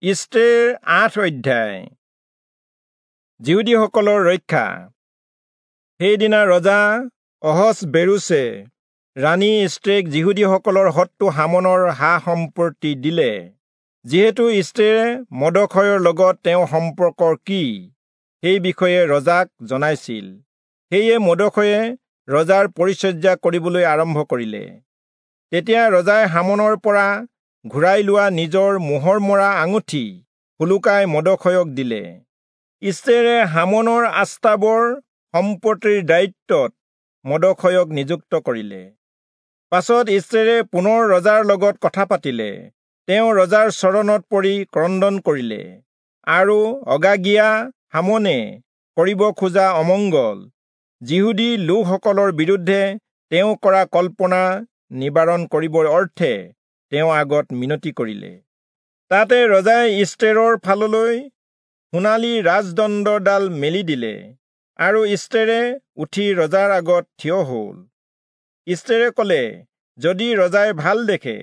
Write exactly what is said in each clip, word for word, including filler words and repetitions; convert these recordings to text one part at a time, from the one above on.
ইষ্টেৰ আঠ অধ্যায়। যিহুদীসকলৰ ৰক্ষা। সেইদিনা ৰজা অহচ্বেৰোচে ৰাণী ইষ্টেৰক যিহুদীসকলৰ শত্ৰু হামনৰ সা সম্পত্তি দিলে। যিহেতু ইষ্টেৰে মৰ্দখয়ৰ লগত তেওঁৰ সম্পৰ্ক কি সেই বিষয়ে ৰজাক জনাইছিল, সেয়ে মৰ্দখয়ে ৰজাৰ পৰিচৰ্যা কৰিবলৈ আৰম্ভ কৰিলে। তেতিয়া ৰজাই হামনৰ পৰা ঘূৰাই লোৱা নিজৰ মোহৰ মৰা আঙুঠি সোলোকাই মৰ্দখয়ক দিলে। ইষ্টেৰে হামনৰ আস্তাবৰ সম্পত্তিৰ দায়িত্বত মৰ্দখয়ক নিযুক্ত কৰিলে। পাছত ইষ্টেৰে পুনৰ ৰজাৰ লগত কথা পাতিলে। তেওঁ ৰজাৰ চৰণত পৰি ক্ৰন্দন কৰিলে আৰু অগাগীয়া হামনে কৰিব খোজা অমংগল যিহুদী লোকসকলৰ বিৰুদ্ধে তেওঁ কৰা কল্পনা নিবাৰণ কৰিবৰ অৰ্থে তেওঁ আগত মিনতি কৰিলে। তাতে ৰজাই ইষ্টেৰৰ ফাললৈ সোণালী ৰাজদণ্ডডাল মেলি দিলে আৰু ইষ্টেৰে উঠি ৰজাৰ আগত থিয় হল। ইষ্টেৰে কলে, যদি ৰজাই ভাল দেখে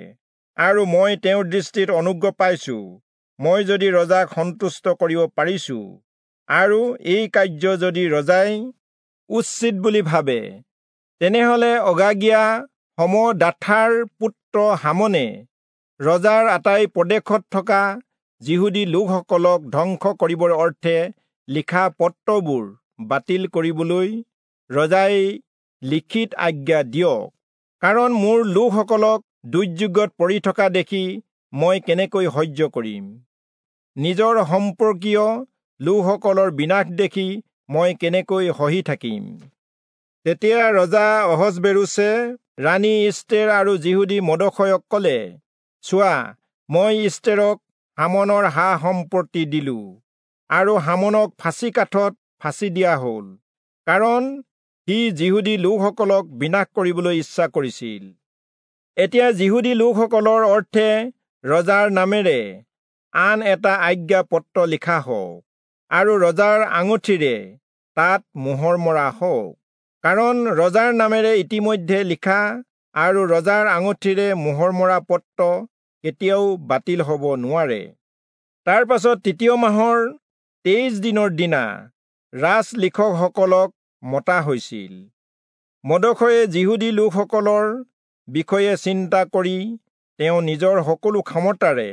আৰু মই তেওঁৰ দৃষ্টিত অনুগ্ৰহ পাইছো, মই যদি ৰজাক সন্তুষ্ট কৰিব পাৰিছো আৰু এই কাৰ্য যদি ৰজাই উচিত বুলি ভাবে, তেনেহলে অগাগীয়া হমদাথাৰ পুত্ৰ হামনে ৰজাৰ আটাই প্ৰদেশত থকা যিহুদী লোকসকলক ধ্বংস কৰিবৰ অৰ্থে লিখা পত্ৰবোৰ বাতিল কৰিবলৈ ৰজাই লিখিত আজ্ঞা দিয়ক। কাৰণ মোৰ লোকসকলক দুৰ্যোগত পৰি থকা দেখি মই কেনেকৈ সহ্য কৰিম? নিজৰ সম্পৰ্কীয় লোকসকলৰ বিনাশ দেখি মই কেনেকৈ সহি থাকিম? তেতিয়া ৰজা অহচ্বেৰোচে ৰাণী ইষ্টেৰ আৰু যিহুদী মৰ্দখয়ক কলে, চোৱা, মই ইষ্টেৰক হামনৰ সা সম্পত্তি দিলো আৰু হামনক ফাঁচী কাঠত ফাঁচী দিয়া হল, কাৰণ সি যিহুদী লোকসকলক বিনাশ কৰিবলৈ ইচ্ছা কৰিছিল। এতিয়া যিহুদী লোকসকলৰ অৰ্থে ৰজাৰ নামেৰে আন এটা আজ্ঞা পত্ৰ লিখা হওক আৰু ৰজাৰ আঙুঠিৰে তাত মোহৰ মৰা হওক। কাৰণ ৰজাৰ নামেৰে ইতিমধ্যে লিখা আৰু ৰজাৰ আঙুঠিৰে মোহৰ মৰা পত্ৰ কেতিয়াও বাতিল হ'ব নোৱাৰে। তাৰ পাছত তৃতীয় মাহৰ তেইছ দিনৰ দিনা ৰাজ লিখকসকলক মতা হৈছিল। মৰ্দখয়ে যিহুদী লোকসকলৰ বিষয়ে চিন্তা কৰি তেওঁ নিজৰ সকলো ক্ষমতাৰে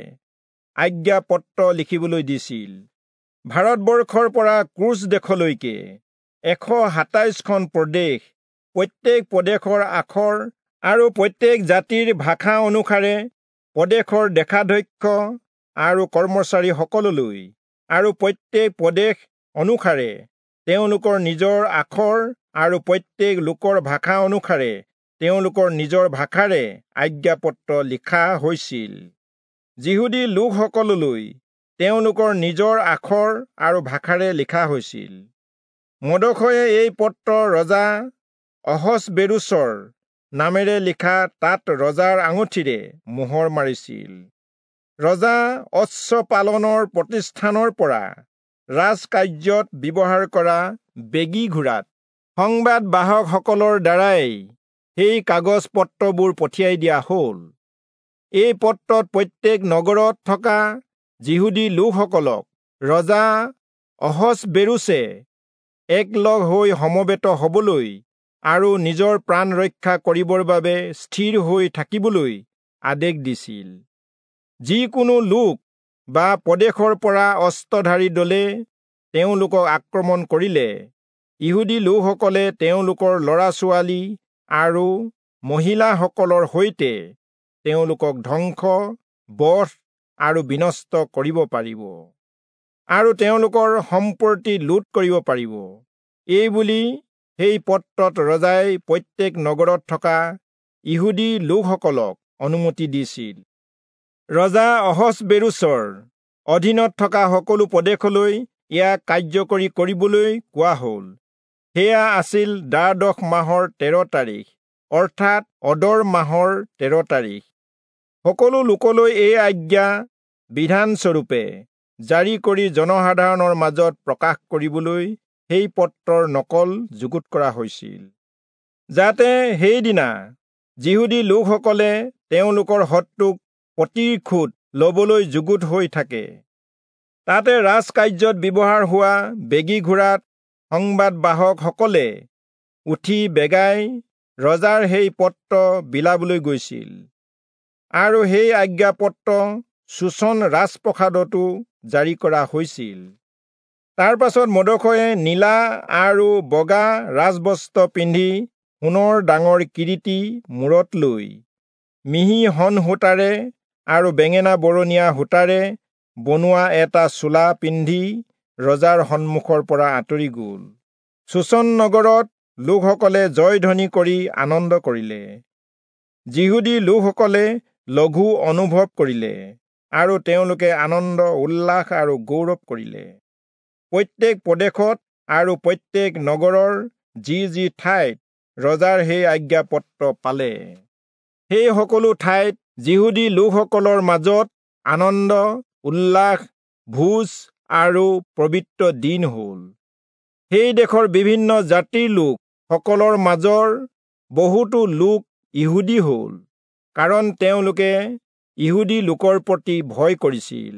আজ্ঞা পত্ৰ লিখিবলৈ দিছিল। ভাৰতবৰ্ষৰ পৰা ক্ৰুচ দেশলৈকে এশ সাতাইছখন প্ৰদেশ, প্ৰত্যেক প্ৰদেশৰ আখৰ আৰু প্ৰত্যেক জাতিৰ ভাষা অনুসাৰে প্ৰদেশৰ দেশাধ্যক্ষ আৰু কৰ্মচাৰীসকললৈ আৰু প্ৰত্যেক প্ৰদেশ অনুসাৰে তেওঁলোকৰ নিজৰ আখৰ আৰু প্ৰত্যেক লোকৰ ভাষা অনুসাৰে তেওঁলোকৰ নিজৰ ভাষাৰে আজ্ঞাপত্ৰ লিখা হৈছিল। যিহুদী লোকসকললৈ তেওঁলোকৰ নিজৰ আখৰ আৰু ভাষাৰে লিখা হৈছিল। মৰ্দখয়ে এই পত্ৰ ৰজা অহচ্বেৰোচৰ নামেৰে লিখা তাত ৰজাৰ আঙুঠিৰে মোহৰ মাৰিছিল। ৰজা অশ্বপালনৰ প্ৰতিষ্ঠানৰ পৰা ৰাজকাৰ্যত ব্যৱহাৰ কৰা বেগী ঘোঁৰাত সংবাদবাহকসকলৰ দ্বাৰাই সেই কাগজ পত্ৰবোৰ পঠিয়াই দিয়া হল। এই পত্ৰত প্ৰত্যেক নগৰত থকা যিহুদী লোকসকলক ৰজা অহচ্বেৰোচে একলগ হৈ সমবেত হবলৈ আৰু নিজৰ প্ৰাণ ৰক্ষা কৰিবৰ বাবে স্থিৰ হৈ থাকিবলৈ আদেশ দিছিল। যিকোনো লোক বা প্ৰদেশৰ পৰা অস্ত্ৰধাৰী দলে তেওঁলোকক আক্ৰমণ কৰিলে ইহুদী লোকসকলে তেওঁলোকৰ ল'ৰা ছোৱালী আৰু মহিলাসকলৰ সৈতে তেওঁলোকক ধ্বংস, বধ আৰু বিনষ্ট কৰিব পাৰিব আৰু তেওঁলোকৰ সম্পত্তি লুট কৰিব পাৰিব। এই বুলি সেই পত্ৰত ৰজাই প্ৰত্যেক নগৰত থকা ইহুদী লোকসকলক অনুমতি দিছিল। ৰজা অহচ্বেৰোচৰ অধীনত থকা সকলো প্ৰদেশলৈ ইয়াক কাৰ্যকৰী কৰিবলৈ কোৱা হল। সেয়া আছিল দ্বাদশ মাহৰ তেৰ তাৰিখ, অৰ্থাৎ অদৰ মাহৰ তেৰ তাৰিখ। সকলো লোকলৈ এই আজ্ঞা বিধানস্বৰূপে জাৰি কৰি জনসাধাৰণৰ মাজত প্ৰকাশ কৰিবলৈ সেই পত্ৰৰ নকল যুগুত কৰা হৈছিল, যাতে সেইদিনা যিহুদী লোকসকলে তেওঁলোকৰ শত্ৰুক প্ৰতিশোধ লবলৈ যুগুত হৈ থাকে। তাতে ৰাজকাৰ্যত ব্যৱহাৰ হোৱা বেগী ঘোঁৰাত সংবাদবাহকসকলে উঠি বেগাই ৰজাৰ সেই পত্ৰ বিলাবলৈ গৈছিল, আৰু সেই আজ্ঞাপত্ৰ চূচন ৰাজপ্ৰসাদতো জাৰি কৰা হৈছিল। তাৰ পাছত মৰ্দখয়ে নীলা আৰু বগা ৰাজবস্ত্ৰ পিন্ধি সোণৰ ডাঙৰ কিৰীটি মূৰত লৈ মিহি শণ সূতাৰে আৰু বেঙেনা বৰণীয়া সূতাৰে বনোৱা এটা চোলা পিন্ধি ৰজাৰ সন্মুখৰ পৰা আঁতৰি গ'ল। চূচন নগৰত লোকসকলে জয়ধ্বনি কৰি আনন্দ কৰিলে। যিহুদী লোকসকলে লঘু অনুভৱ কৰিলে আৰু তেওঁলোকে আনন্দ, উল্লাস আৰু গৌৰৱ কৰিলে। প্ৰত্যেক প্ৰদেশত আৰু প্ৰত্যেক নগৰৰ যি যি ঠাইত ৰজাৰ সেই আজ্ঞাপত্ৰ পালে, সেই সকলো ঠাইত যিহুদী লোকসকলৰ মাজত আনন্দ, উল্লাস, ভোজ আৰু পবিত্ৰ দিন হ'ল। সেই দেশৰ বিভিন্ন জাতিৰ লোক সকলৰ মাজৰ বহুতো লোক ইহুদী হ'ল, কাৰণ তেওঁলোকে ইহুদী লোকৰ প্ৰতি ভয় কৰিছিল।